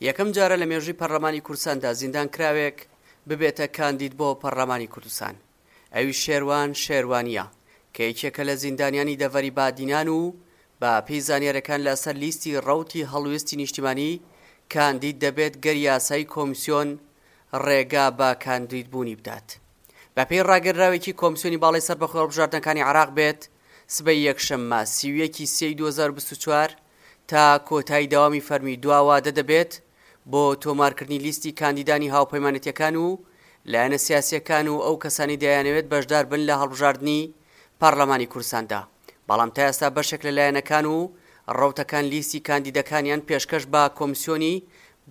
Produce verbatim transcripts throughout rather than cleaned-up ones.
یەکەم جارە لە مێژووی پەرلەمانی کوردستاندا زیندانکراوێک ببێتە کاندید بۆ پەرلەمانی کوردستان، ئەویش شێروان شێروانییە کە یەکێکە لە زیندانیانی دەڤەری بادینان و بە پێی زانیاریەکان لەسەر لیستی ڕەوتی هەڵوێستی نیشتیمانی کاندید دەبێت گەر یاسای کۆمسیۆن ڕێگا بە کاندیدبوونی بدات. بەپێی ڕاگەنراوێکی کۆمسیۆنی باڵای سەربەخۆی هەڵبژاردنەکانی عێراق بێت، سبەی یەکشەممە سی و یەک ی سێی دوو هەزار و بیست و چوار تا کۆتایی دەوامی فەرمی دوا وادە دەبێت بۆ تۆمارکردنی لیستی کاندیدانی هاوپەیمانێتیەکان و لایەنە سیاسیەکان و ئەو کەسانی دەیانەوێت بەشدار بن لە هەڵبژاردنی پەرلەمانی کوردستاندا، بەڵام تا ئێستا بەشێک لە لایەنەکان و ڕەوتەکان لیستی کاندیدەکانیان پێشکەش بە کۆمسیۆنی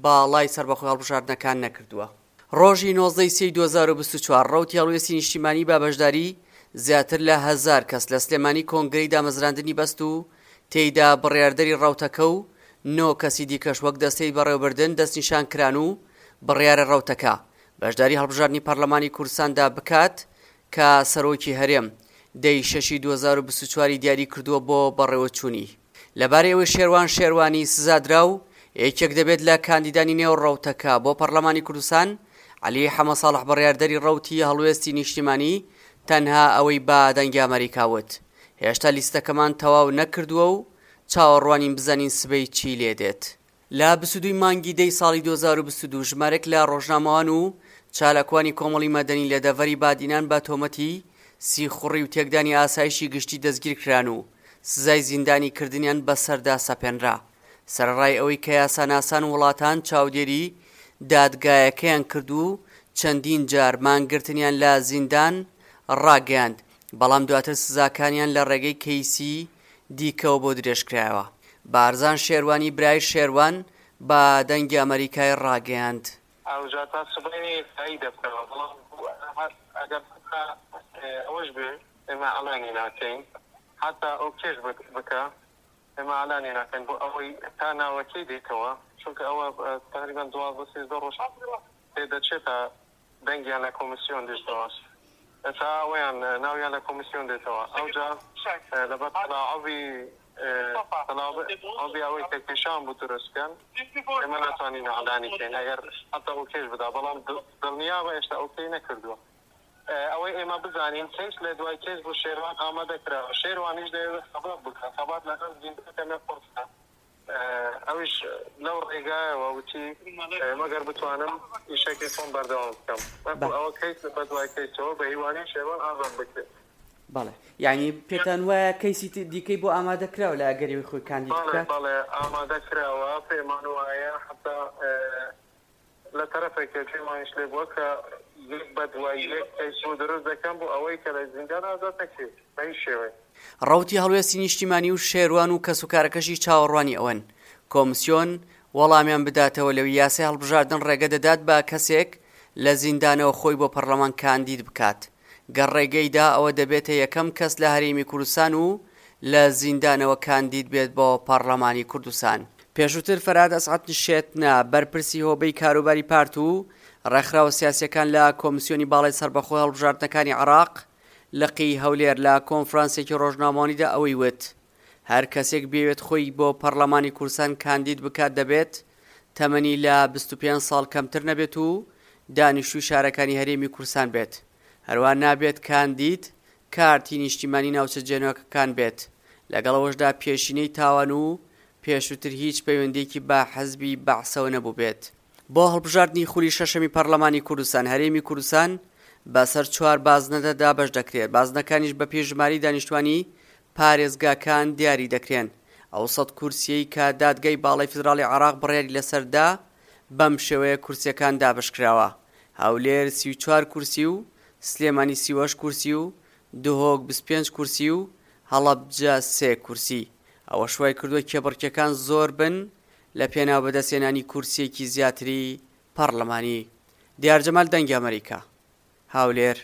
باڵای سەربەخۆی هەڵبژاردنەکان نەکردووە. ڕۆژی نۆزدە ی سێی دوو هەزار و بیست و چوار ڕەوتی هەڵوێستی نیشتیمانی بە بەشداری زیاتر لە هەزار کەس لە سلێمانی کۆنگرەی دامەزراندنی بەست و تێیدا بڕیاردەری ڕەوتەکە و نۆ کەسی دیکەش وەک دەستەی بەڕێوەبردن دەستنیشان کران و بڕیارە ڕەوتەکە بەشداری هەڵبژاردنی پەرلەمانی کوردستاندا بکات کە سەرۆکی هەرێم دە ی شەشی دوو هەزار و بیست و چوار ی دیاری کردووە بۆ بەڕێوەچوونی. لەبارەی ئەوەی شێروان شێروانی سزادراو یەکێک دەبێت لە کاندیدانی نێو ڕەوتەکە بۆ پەرلەمانی کوردستان، عەلی حەمەساڵح بڕیاردەری ڕەوتی هەڵوێستی نیشتیمانی تەنها ئەوەی بە دەنگی ئەمەریکا وت هێشتا لیستەکەمان تەواو نەکردووە و چاوەڕوانین بزانین سبەی چی لێدێت. لە بیست و دوو ی مانگی دەی ساڵی دوو هەزار و بیست و دوو ژمارەیەک لە ڕۆژنامەوان و چالاکوانی کۆمەڵی مەدەنی لە دەڤەری بادینان بە تۆمەتی سیخوڕی و تێکدانی ئاسایشی گشتی دەستگیرکران و سزای زیندانی کردنیان بەسەردا سەپێنرا سەرەڕای ئەوەی کە یاساناسان و وڵاتان چاودێری دادگایەکەیان کرد و چەندین جار مانگرتنیان لە زیندان ڕاگەیاند بەڵام دواتر سزاکانیان لە ڕێگەی کەیسی دیکەوە بۆ درێژکرایەوە. بارزان شێروانی برای شێروان بە دەنگی ئەمەریکای ڕاگەیاند. ئەوجا تا سبەینێ یەکلایی دەبنەوە، بەڵام هەر ئەگەر حەتا ئەوەش بێ ئێمە ئەلانی ناکەین، حەتا ئۆکێش بکا ئێمە ئەلانی ناکەین بۆ ئەوەی تا ناوەکەی دێتەوە، چونکە ئەوە تەقریبەن دوازدە سێزدە ڕۆژ پێ دەچێت تا دەنگیان لە کۆمیسیۆن دێتەوە، تا ئەوەیان ناویان لە کۆمیسیۆن دێتەوە، ئەوجا لەبەر تەلاعوبی تەلاعوبی ئەوەی کە کێشان بوو دروست بکەن ئێمە ناتوانین ئەعلانی کەین ئەگەر حەتا ئۆکێش بدا، بەڵام دڵنیابە ئێشتا ئۆکەی نەکردووە. ئەوەی ئێمە بزانین کەیس لە دوای کەیس بۆ شێروان ئامادە کراوە، شێروانیش دەیەوێت خەبات بکات، خەبات لەگەڵ زیندان کەمێ قورسە، ئەویش لەو ڕێگایەوە وتی مەگەر بتوانم ئیشەکەی خۆم بەردەوام بکەم، بەڵکو ئەوە کەیس بە دوای کەیسەوە بە هیوانەی شێروان ئازاد بکرێت. بەڵێ یانی پێتان وایە کەیسی دیکەی بۆ ئامادە کراوە لە ئەگەری ئەوەی خۆی کاندید بەڵێ بکات؟ بەڵێ ئامادە کراوە، پێمان وایە حەتا لە تەرەفێک گوێمانیش لێ بووە کە یەک بە دوای یەک کەیس بۆ دروست دەکەن بۆ ئەوەی کە لە زیندان ئازاد نەکرێت بە هیچ شێوەیەک. ڕەوتی هەڵوێستی نیشتیمانی و شێروان و کەسوکارەکەشی چاوەڕوانی ئەوەن کۆمسیۆن وەڵامیان بداتەوە لەوی یاسای هەڵبژاردن ڕێگە دەدات بە کەسێک لە زیندانەوە خۆی بۆ پەرلەمان کاندید بکات گەر ڕێگەی دا ئەوە دەبێتە یەکەم کەس لە هەرێمی کوردستان و لە زیندانەوە کاندید بێت بۆ پەڕلەمانی کوردستان. پێشووتر فەرهاد ئەسعەد شێتنە، بەرپرسی هۆبەی کاروباری پارت و ڕێکخراوە سیاسییەکان لە کۆمسیۆنی باڵای سەربەخۆی هەڵبژاردنەکانی عێراق لقی هەولێر لە کۆنفرانسێکی ڕۆژنامەوانیدا ئەوەی وت هەر کەسێک بیەوێت خۆی بۆ پەڕلەمانی کوردستان کاندید بکات دەبێت تەمەنی لە بیست و پێنج ساڵ کەمتر نەبێت و دانیشتووی شارەکانی هەرێمی کوردستان بێت هەروەها نابێت کاندید کارتی نیشتیمانی ناوچە جێنۆکەکان بێت، لەگەڵ ئەوەشدا پێشینەی تاوان و پێشووتر هیچ پەیوەندییەکی بە حزبی بەعسەوە نەبووبێت. بۆ هەڵبژاردنی خولی شەشەمی پەرلەمانی کوردستان، هەرێمی کوردستان بەسەر چوار بازنەدا دابەش دەکرێت، بازنەکانیش بەپێی ژمارەی دانیشتوانی پارێزگاکان دیاری دەکرێن. ئەو سەد کورسییەی کە دادگای باڵای فیدراڵی عێراق بڕیاری لەسەر دا، بەم شێوەیە کورسییەکان دابەشکراوە، هەولێر سی و چوار کورسی و سلێمانی سی و هەشت کورسی و دهۆک بیست و پێنج کورسی و هەڵەبجە سێ کورسی، ئەوەش وایکردووە کێبڕکێکان زۆر بن لە پێناو بەدەستهێنانی کورسییەکی زیاتری پەڕلەمانی. دیار جەمال دەنگی ئەمەریکا، هەولێر.